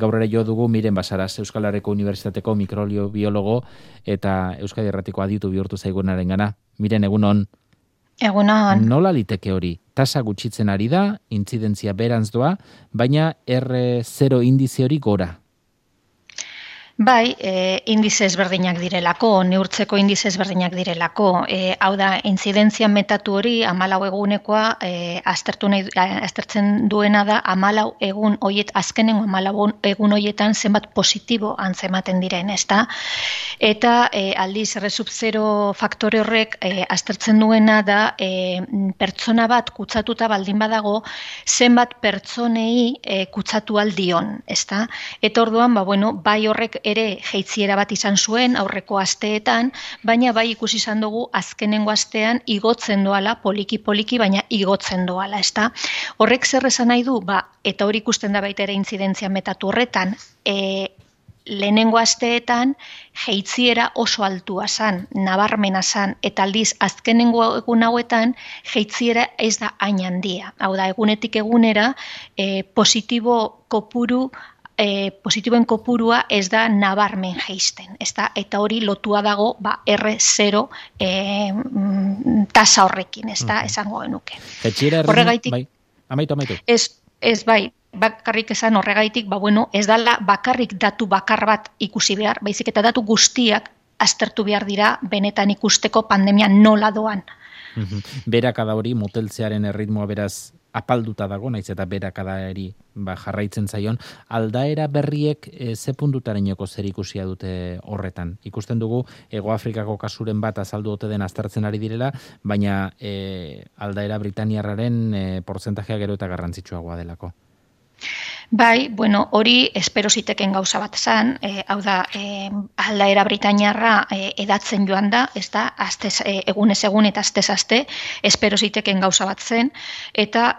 Gaur ere jo dugu Miren Basaras, Euskal Herriko Unibertsitateko mikrobiologo eta Euskadi Irratiko aditu bihurtu zaigunarengana. Miren, egunon. Egunon. Nola liteke hori? Tasa gutxitzen ari da, intzidentzia berantz doa, baina R0 indize hori gora. Bai, indize ezberdinak direlako, neurtzeko indize ezberdinak direlako. Hau da, intzidentzia metatu hori 14 egunekoa aztertzen duena da 14 egun hoiet azkenengo 14 egun hoietan zenbat positibo antzematen diren, ezta? Eta aldiz R0 faktore horrek aztertzen duena da pertsona bat kutsatuta baldin badago zenbat pertsonei kutsatu aldion, ezta? Eta orduan, bai horrek ere jeitziera bat izan zuen aurreko asteetan, baina bai ikusi izan dugu azkenengo astean igotzen doala, poliki, baina igotzen doala, ezta? Horrek zer esan nahi du, eta hori ikusten da baita ere intzidentzia metatu horretan, lehenengo asteetan jeitziera oso altua zan, nabarmena zan, eta aldiz azkenengo egun hauetan jeitziera ez da hain handia. Hau da, egunetik egunera positiboen kopurua ez da nabarmen jeisten, ezta? Eta hori lotua dago R0 tasa horrekin, ezta? Esango genuke. Horregaitik, bai, amaitu. Ez bai, bakarrik esan horregaitik, ez dala bakarrik datu bakar bat ikusi behar, baizik eta datu guztiak aztertu behar dira benetan ikusteko pandemia nola doan. Berakada hori, moteltzearen erritmoa beraz apalduta dago, naiz eta berakadari jarraitzen zaion, aldaera berriek ze puntutarenoko zer ikusia dute horretan. Ikusten dugu, Hego Afrikako kasuren bat azaldu ote den aztertzen ari direla, baina aldaera britaniarraren portzentajea gero eta garrantzitsuagoa delako. Bai, hori espero ziteken gauza bat zan, hau da, aldaera britainiarra edatzen joan da, ez da, egunez egun eta astez aste, espero ziteken gauza bat zen, eta,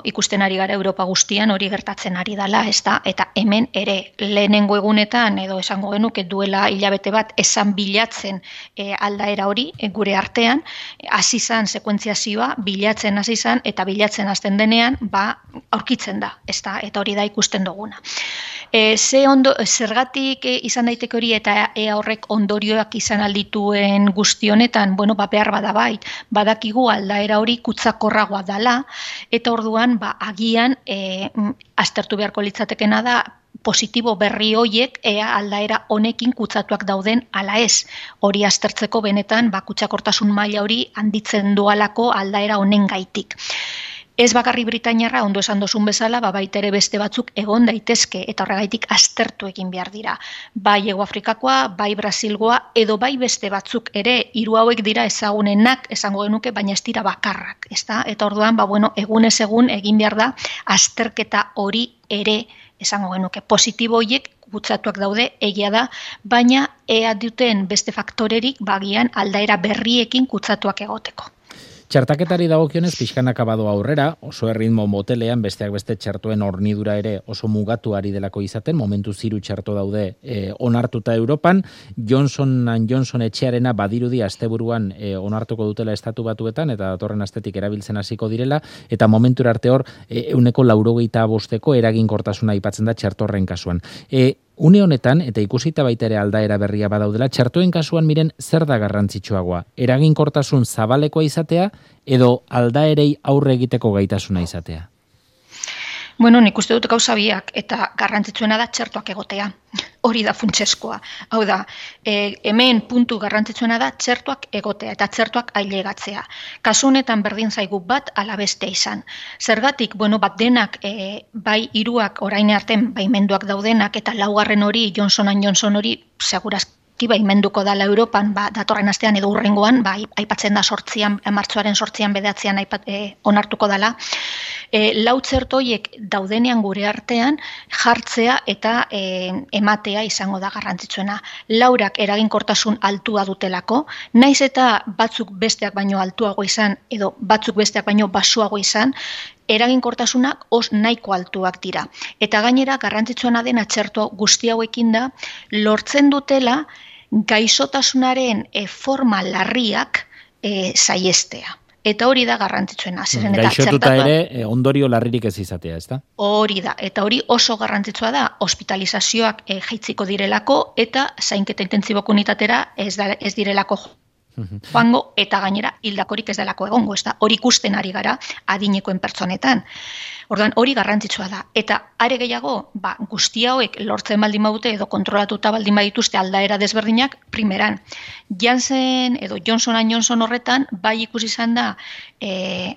ikusten ari gara Europa guztian hori gertatzen ari dela, ez da, eta hemen ere lehenengo egunetan, edo esango genuke duela hilabete bat, esan bilatzen aldaera hori, gure artean, hasi zan sekuentziazioa, bilatzen hasi zan, eta bilatzen hasten denean, aurkitzen da, ez da, eta hori da ikusten duguna. Zergatik izan daiteke hori eta horrek ondorioak izan aldituen guzti honetan, behar bada bai, badakigu aldaera hori kutsakorragoa dala, eta orduan agian aztertu beharko litzatekena da positibo berri hoiek aldaera honekin kutsatuak dauden ala ez. Hori aztertzeko benetan kutsakortasun maila hori handitzen dualako aldaera honen gaitik. Ez bakarri Britainiarra, ondo esan dozun bezala, baita ere beste batzuk egon daitezke, eta horregaitik aztertu egin behar dira. Bai Hego Afrikakoa, bai Brasilgoa, edo bai beste batzuk ere, 3 hauek dira ezagunenak, esango genuke, baina ez dira bakarrak, ezta? Eta orduan, egunez egun egin behar da, azterketa hori ere, esango genuke, positibo horiek kutsatuak daude, egia da, baina ea duten beste faktorerik, bagian aldaera berriekin kutsatuak egoteko. Txertaketari dagokionez pixkanaka badoa aurrera, oso erritmo motelean besteak beste txertoen hornidura ere oso mugatu ari delako izaten, momentu 3 txerto daude onartuta Europan, Johnson & Johnson etxearena badirudi asteburuan onartuko dutela estatu batuetan, eta datorren astetik erabiltzen hasiko direla, eta momentura arte hor 95% eraginkortasuna aipatzen da txertorren kasuan. Une honetan, eta ikusita baita ere aldaera berria badaudela, txertoen kasuan Miren zer da garrantzitsuagoa? Eraginkortasun zabalekoa izatea edo aldaerei aurre egiteko gaitasuna izatea? Nik uste dut gauza biak, eta garrantzitsuena da txertoak egotea. Hori da funtseskoa. Hau da, hemen puntu garrantzitsuena da txertoak egotea eta txertoak ailegatzea. Kasu honetan berdin zaigu bat ala beste izan. Zergatik, bat denak, bai 3 orain artean baimenduak daudenak eta 4. hori Johnson & Johnson hori segurazki baimenduko dala Europan, datorren astean edo hurrengoan, aipatzen da martxoaren 8an 9an onartuko dala. 4 txerto horiek daudenean gure artean jartzea eta ematea izango da garrantzitsuena. 4ak eraginkortasun altua dutelako, naiz eta batzuk besteak baino altuago izan edo batzuk besteak baino baxuago izan, eraginkortasunak nahiko altuak dira. Eta gainera garrantzitsuena dena txerto guzti hauekin da lortzen dutela gaixotasunaren forma larriak saihestea. Eta hori da garrantzitsuena. Gaixotuta ere ondorio larririk ez izatea, ezta? Hori da, eta hori oso garrantzitsua da, hospitalizazioak jaitziko direlako, eta zainketa intentsiboko unitatera ez direlako joango, eta gainera hildakorik ez delako egongo, ezta? Hori ikusten ari gara adinekoen pertsonetan. Orduan, hori garrantzitsua da. Eta are gehiago, guzti hauek lortzen baldin badute edo kontrolatuta baldin badituzte aldaera desberdinak, primeran. Janssen edo Johnson & Johnson horretan, bai ikusi izan da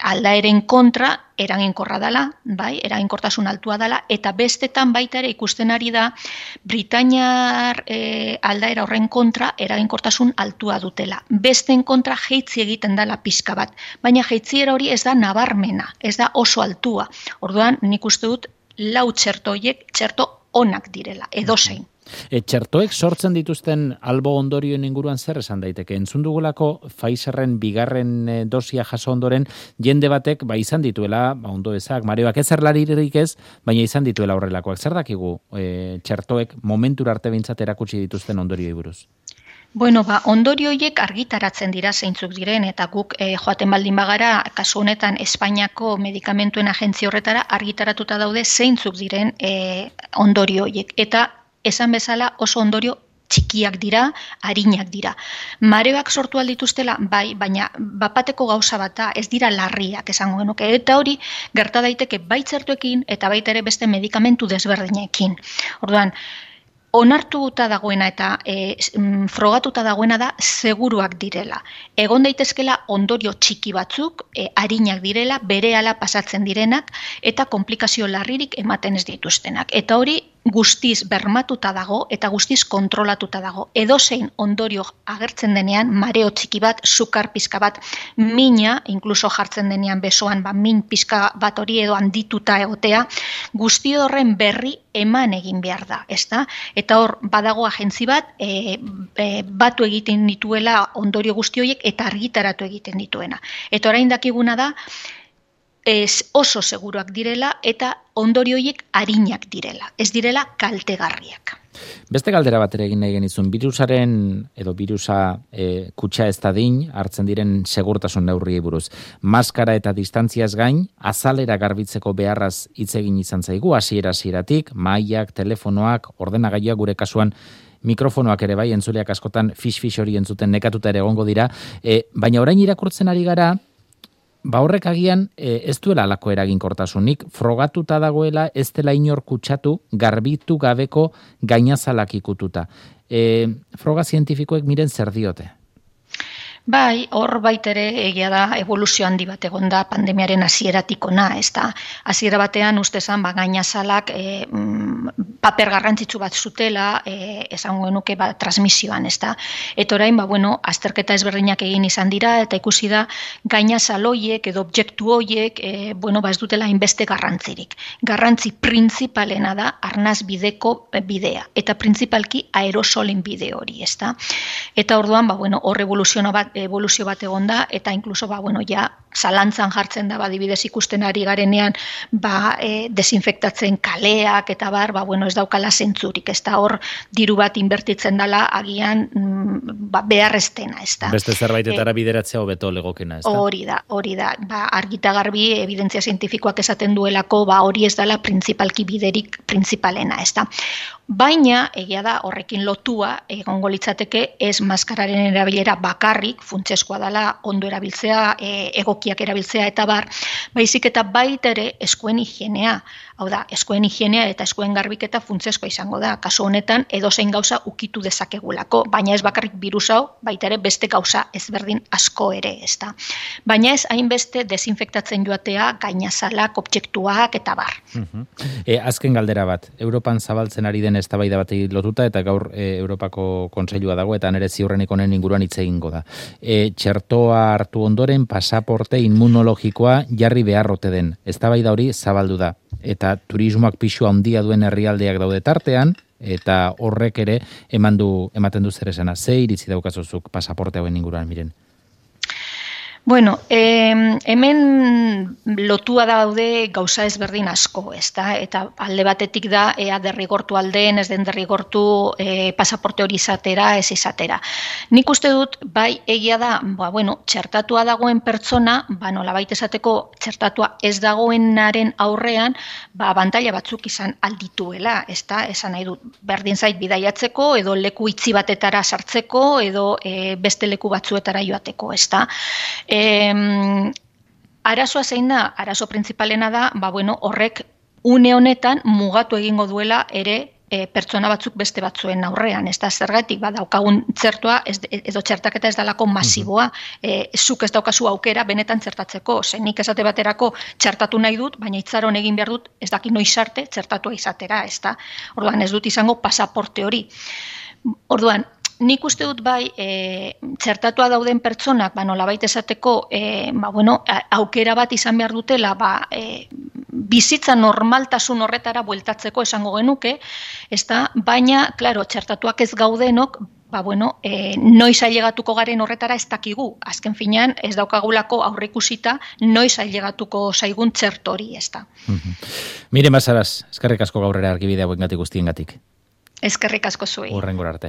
aldaeren kontra eraginkorra dela, bai, eraginkortasun altua dela, eta bestetan baita ere ikusten ari da Britainiar aldaera horren kontra eraginkortasun altua dutela. Besteen kontra jeitzi egiten dela pixka bat, baina jeitziera hori ez da nabarmena, ez da oso altua. Orduan, nik uste dut, lau txerto horiek txerto onak direla, edozein. Txertoek sortzen dituzten albo ondorioen inguruan zer esan daiteke? Entzun dugulako Pfizerren bigarren dosia jaso ondoren jende batek izan dituela, ondo ezak, mareoak ez erlaririk ez, baina izan dituela horrelakoak. Zer dakigu txertoek momentura arte behintzat erakutsi dituzten ondorioi buruz? Bueno, ondorio horiek argitaratzen dira zeintzuk diren, eta guk joaten baldin bagara, kasu honetan Espainiako medikamentuen agentzia horretara argitaratuta daude zeintzuk diren ondorio horiek. Eta esan bezala oso ondorio txikiak dira, arinak dira. Mareoak sortu aldituztela, bai, baina bapateko gauza bat da, ez dira larriak esango genuke. Eta hori gerta daiteke bai txertuekin eta baita ere beste medikamentu desberdinekin. Orduan, onartuta dagoena eta frogatuta dagoena da seguruak direla. Egon daitezkela ondorio txiki batzuk, arinak direla, berehala pasatzen direnak eta komplikazio larririk ematen ez dituztenak. Eta hori guztiz bermatuta dago eta guztiz kontrolatuta dago. Edozein ondorio agertzen denean, mareo txiki bat, sukar pizka bat, mina, inkluso jartzen denean besoan, min pizka bat hori edo handituta egotea, guzti horren berri eman egin behar da, ezta? Eta hor, badago agentzi bat, batu egiten dituela ondorio guzti horiek eta argitaratu egiten dituena. Eta orain dakiguna da, oso seguruak direla eta ondorio horiek arinak direla, ez direla kaltegarriak. Beste galdera bat ere egin nahi genizun, birusaren edo birusa kutsa ez dadin hartzen diren segurtasun neurriei buruz. Maskara eta distantziaz gain, azalera garbitzeko beharraz hitz egin izan zaigu, hasieratik, mailak, telefonoak, ordenagailuak gure kasuan, mikrofonoak ere bai, entzuleak askotan fish hori entzuten nekatuta ere egongo dira, baina orain irakurtzen ari gara, horrek agian ez duela alako eraginkortasunik, frogatuta dagoela ez dela inor kutsatu, garbitu gabeko gainazalak ikututa. Froga zientifikoek miren zer diote? Bai, hor baitere egia da evoluzio handi bat egon da pandemiaren hasieratik hona, ezta. Hasiera batean ustezan gainazalak paper garrantzitsu bat zutela, esango genuke transmisioan, ezta. Eta orain azterketa ezberdinak egin izan dira eta ikusi da gainazal hoiek edo objektu hoiek ez dutela inbeste garrantzirik. Garrantzi printzipalena da arnaz bideko bidea eta printzipalki aerosolen bide hori, ezta. Eta orduan hor evoluzio bat egon da, eta inkluso, zalantzan jartzen da, adibidez ikusten ari garenean, desinfektatzen kaleak, eta ez daukala zentzurik, ez da hor diru bat inbertitzen dela, agian, beharreztena, ez da. Beste zerbaitetara bideratzea hobeto legokena, ez da? Hori da, argita garbi, evidentzia zientifikoak esaten duelako, hori ez dela printzipalki biderik printzipalena, ez da. Baina, egia da, horrekin lotua, egongo litzateke, ez maskararen erabilera bakarrik, funtsezkoa dela ondo erabiltzea, egokiak erabiltzea eta baizik eta baita ere eskuen higienea. Hau da, eskuen higienea eta eskuen garbiketa funtsezkoa izango da. Kasu honetan, edozein gauza ukitu dezakegulako, baina ez bakarrik birus hau, baita ere beste gauza ezberdin asko ere, ez da. Baina ez hainbeste desinfektatzen joatea, gainazalak, objektuak eta bar. Azken galdera bat, Europan zabaltzen ari den eztabaida bat lotuta eta gaur Europako Kontseilua dago eta nere ziurrenik honen inguruan hitz egingo da. Txertoa hartu ondoren pasaporte inmunologikoa jarri beharrote den. Eztabaida hori zabaldu da. Eta turismoak pisu handia duen herrialdeak daude tartean, eta horrek ere ematen du zer esana. Ze iritzi daukazuzuk pasaporte hauen inguruan, miren? Bueno, hemen lotua daude gauza ezberdin asko, ezta? Eta alde batetik da, ea derrigortu aldeen, ez den derrigortu pasaporte hori izatera, ez izatera. Nik uste dut, bai, egia da, txertatua dagoen pertsona, nolabait esateko txertatua ez dagoenaren aurrean, abantaila batzuk izan aldituela, ezta? Esan nahi dut, berdin zait bidaiatzeko, edo leku itzi batetara sartzeko, edo beste leku batzuetara joateko, ezta? Arazoa zein da, arazo printzipalena da, horrek une honetan mugatu egingo duela ere pertsona batzuk beste batzuen aurrean, ez da zergatik, daukagun txertua, edo txertaketa ez dalako masiboa, zuk ez daukazu aukera benetan txertatzeko, nik esate baterako txertatu nahi dut, baina itzaron egin behar dut, ez daki noiz arte txertatua izatera, ez da, orduan ez dut izango pasaporte hori. Orduan, nik uste dut bai, txertatua dauden pertsonak, nolabait esateko, aukera bat izan behar dutela, bizitza normaltasun horretara bueltatzeko esango genuke, baina, klaro, txertatuak ez gaudenok, noiz ailegatuko garen horretara ez dakigu. Azken finean, ez daukagulako aurreikusita, noiz ailegatuko zaigun txertori, ez da. Miren Basaras, eskerrik asko gaurrera argibide hauengatik guztiengatik. Eskerrik asko zuei. Hurrengora arte.